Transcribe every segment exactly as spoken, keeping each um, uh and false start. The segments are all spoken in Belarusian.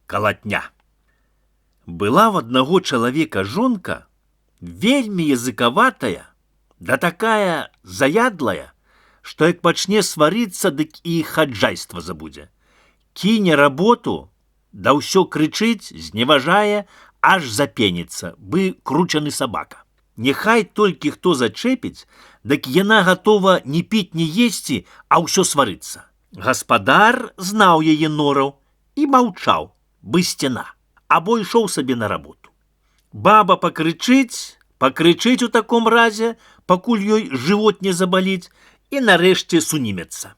калатня. Была в одного чалавека жонка, вельмі языкаватая, да такая заядлая, што як пачне сварыцца, дык і хаджайства забудзе. Кіне работу, да ўсё крычыць, зневажае, аж запеніцца, бы кручаны сабака. Няхай толькі хто зачэпіць, дык яна гатова не піць, не есці, а ўсё сварыцца. Гаспадар знаў яе нораў і маўчаў, бы сцяна, або ішоў сабе на работу. Баба пакрычыць, пакрычыць у таком разе, пакуль ёй жывот не забаліць, і нарэшце сунімецца.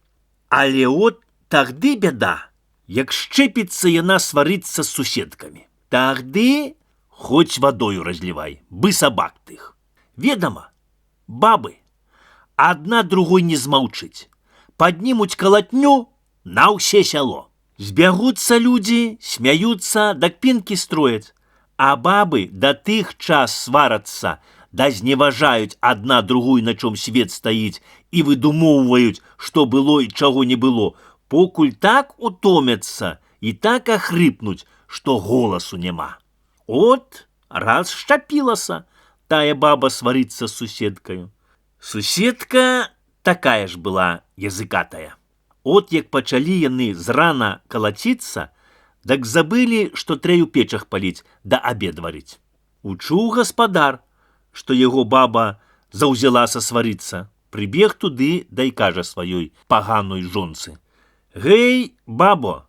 Але от тагды бяда, як шчэпіцца яна сварыцца з суседкамі. Тагды хоць вадою разлівай, бы сабак тых. Ведама, бабы, адна другой не змаўчыць. Паднімуць калатню на ўсе сяло. Збягуцца людзі, смяюцца, да кпінкі строяць. А бабы да тых час сварацца, да зневажаюць адна другую, на чом свет стаіць, і выдумоўваюць, што было і чаго не было, покуль так утомяцца і так ахрыпнуць, што голасу няма. От раз шчапілася тая баба сварыцца з суседкаю. Суседка такая ж была языкатая. От як пачалі яны зрана калаціцца, дак забылі, што трэ ў печах паліць да абед варыць. Учуў гаспадар, што яго баба заўзялася сварыцца, прыбег туды, да і кажа сваёй паганой жонцы: «Гэй, бабо,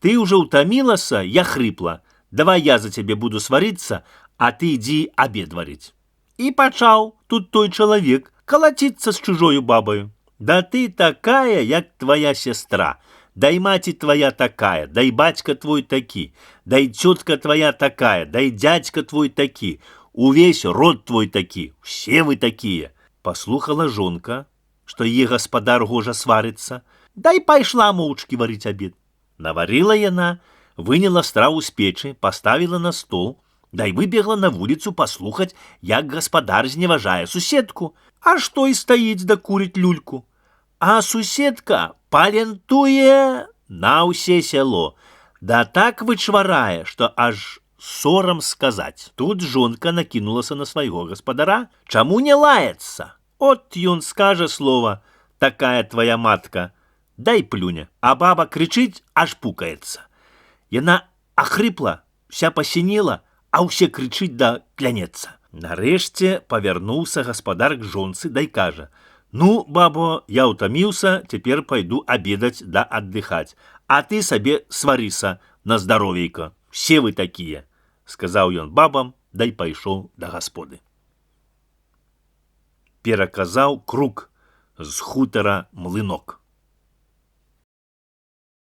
ты ўжо ўтамілася, я хрыпла, давай я за цябе буду сварыцца, а ты ідзі абед варыць». І пачаў тут той чалавек калаціцца з чужою бабаю. Да ты такая, як твоя сестра, дай маці твоя такая, дай бацька твой такі, дай цётка твоя такая, дай дядька твой такі, увесь род твой такі, все вы такія. Паслухала жонка, што яе гаспадар гожа сварыцца, дай пайшла моўчкі варыць абед. Наварыла яна, выняла страву з печы, паставіла на стол, дай выбегла на вуліцу паслухаць, як гаспадар зневажае суседку, а што і стаіць да курыць люльку. А суседка палентуе на ўсе сяло, да так вычварае, што аж сорам сказаць. Тут жонка накінулася на свайго гаспадара, чаму не лаецца? От ён скажа слова: «Такая твоя матка», дай плюня, а баба крычыць, аж пукаецца. Яна ахрыпла, вся пасінела, а ўсе крычыць да клянецца. Нарэшце павярнуўся гаспадар к жонцы, дай кажа: «Ну, бабо, я утомился, теперь пойду обедать да отдыхать, а ты себе сварыся на здоровейко, все вы такие», — сказал ён бабам, дай пайшоў да гасподы. Пераказаў Крук з хутара Млынок.